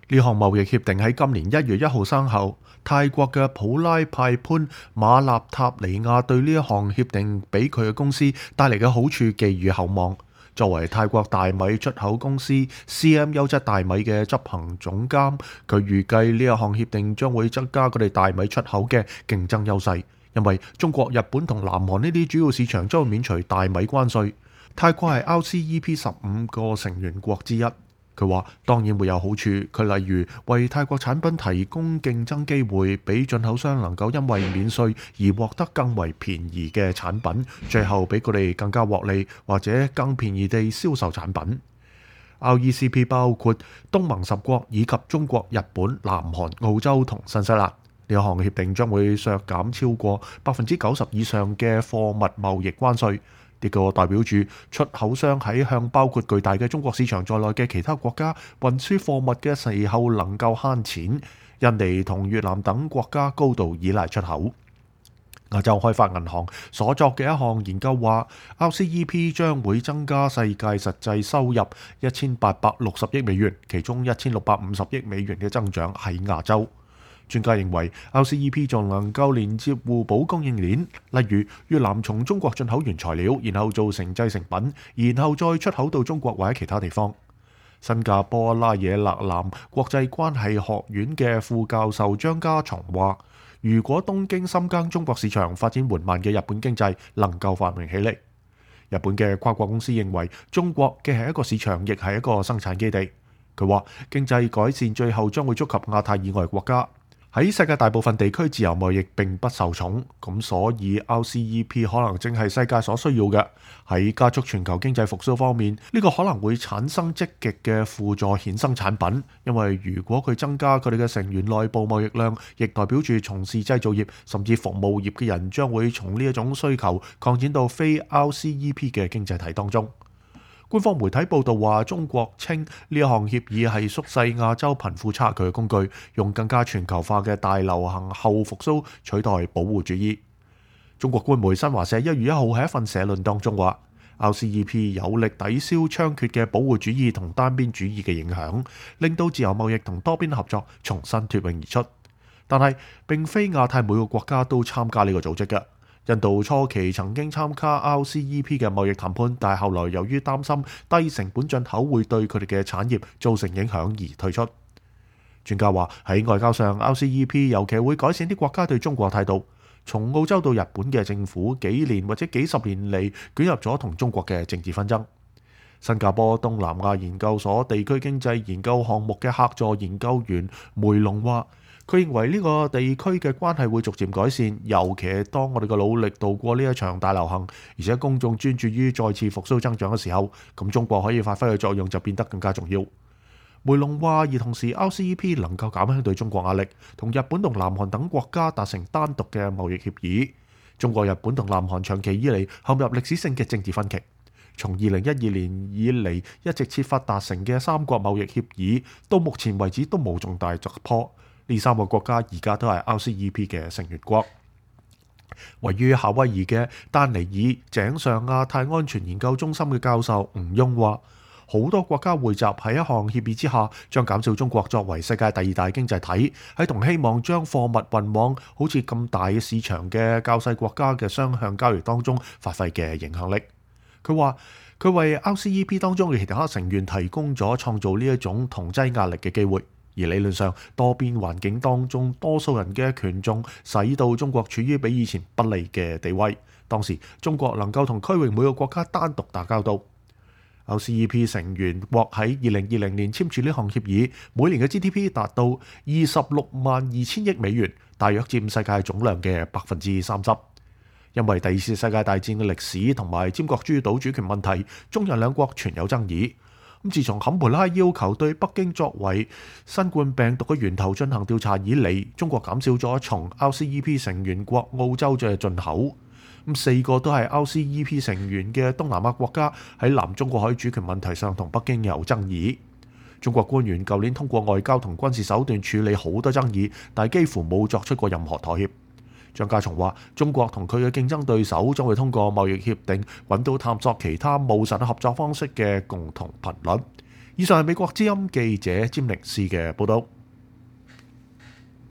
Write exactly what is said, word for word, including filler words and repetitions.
呢項貿易協定喺今年一月一號生效。泰國嘅普拉派潘馬納塔尼亞對呢一項協定俾佢嘅公司帶嚟嘅好處寄予厚望。作為泰國大米出口公司 C M 優質大米嘅執行總監，佢預計呢一項協定將會增加佢哋大米出口嘅競爭優勢，因為中國、日本同南韓呢啲主要市場將會免除大米關稅。泰國係 R C E P 十五個成員國之一。佢話當然會有好處，佢例如為泰國產品提供競爭機會，俾進口商能夠因為免稅而獲得更為便宜嘅產品，最後俾佢哋更加獲利，或者更便宜地銷售產品。R E C P 包括東盟十國以及中國、日本、南韓、澳洲同新西蘭。呢一項協定將會削減超過百分之九十以上嘅貨物貿易關稅。呢個代表住出口商喺向包括巨大嘅中國市場在內嘅其他國家運輸貨物嘅時候能夠慳錢。印尼同越南等國家高度依賴出口。亞洲開發銀行所作嘅一項研究話 ，R C E P 將會增加世界實際收入一千八百六十億美元，其中一千六百五十億美元嘅增長喺亞洲。專家認為 R C E P 仲能夠連接互補供應鏈，例如越南從中國進口原材料，然後做成製成品，然後再出口到中國或者其他地方。新加坡拉野勒南國際關係學院嘅副教授張家松話，如果東京深耕中國市場，發展緩慢嘅日本經濟能夠繁榮起嚟。日本嘅跨國公司認為中國既係一個市場，亦係一個生產基地。佢話經濟改善最後將會觸及亞太以外國家。喺世界大部分地區，自由貿易並不受寵，咁所以 R C E P 可能正係世界所需要嘅。喺加速全球經濟復甦方面，呢個可能會產生積極嘅輔助衍生產品，因為如果佢增加佢哋嘅成員內部貿易量，亦代表住從事製造業甚至服務業嘅人將會從呢一種需求擴展到非 R C E P 嘅經濟體當中。官方媒體報道話，中國稱呢一項協議係縮細亞洲貧富差距嘅工具，用更加全球化嘅大流行後復甦取代保護主義。中國官媒新華社一月一號喺一份社論當中話 ，R C E P 有力抵消猖獗嘅保護主義同單邊主義嘅影響，令到自由貿易同多邊合作重新脫穎而出。但係並非亞太每個國家都參加呢個組織嘅。印度初期曾經參加 R C E P 嘅貿易談判，但係後來由於擔心低成本進口會對佢哋嘅產業造成影響而退出。專家話喺外交上 ，R C E P 尤其會改善啲國家對中國態度。從澳洲到日本嘅政府幾年或者幾十年嚟捲入咗同中國嘅政治紛爭。新加坡東南亞研究所地區經濟研究項目嘅客座研究員梅龍話，佢認為呢個地區嘅關係會逐漸改善，尤其係當我哋嘅努力度過呢一場大流行，而且公眾專注於再次復甦增長嘅時候，咁中國可以發揮嘅作用就變得更加重要。梅龍話，而同時 R C E P 能夠減輕對中國壓力，同日本同南韓等國家達成單獨嘅貿易協議。中國、日本同南韓長期以嚟陷入歷史性嘅政治分歧，從二零一二年以嚟一直設法達成嘅三國貿易協議，到目前為止都冇重大突破。呢三個國家而家都係 R C E P 嘅成員國。位於夏威夷嘅丹尼爾井上亞太安全研究中心嘅教授吳庸話，好多國家匯集喺一項協議之下，將減少中國作為世界第二大經濟體喺同希望將貨物運往好似咁大嘅市場嘅較細國家嘅雙向交易當中發揮嘅影響力。佢話佢為 R C E P 當中嘅其他成員提供咗創造呢一種同儕壓力嘅機會。而理論上，多邊環境當中多數人嘅權重，使到中國處於比以前不利嘅地位。當時中國能夠同區域每個國家單獨打交道。R C E P 成員國喺二零二零年簽署呢項協議，每年嘅 G D P 達到二十六萬二千億美元，大約佔世界總量嘅百分之三十。因為第二次世界大戰嘅歷史同埋尖閣諸島主權問題，中日兩國存有爭議。咁自從坎培拉要求對北京作為新冠病毒嘅源頭進行調查以嚟，中國減少咗從 R C E P 成員國澳洲嘅進口。咁四個都係 R C E P 成員嘅東南亞國家喺南中國海主權問題上同北京有爭議。中國官員舊年通過外交同軍事手段處理好多爭議，但係幾乎冇作出過任何妥協。張家松話：中國同佢嘅競爭對手將會通過貿易協定揾到探索其他務實合作方式嘅共同頻率。以上係美國之音記者詹寧斯嘅報道。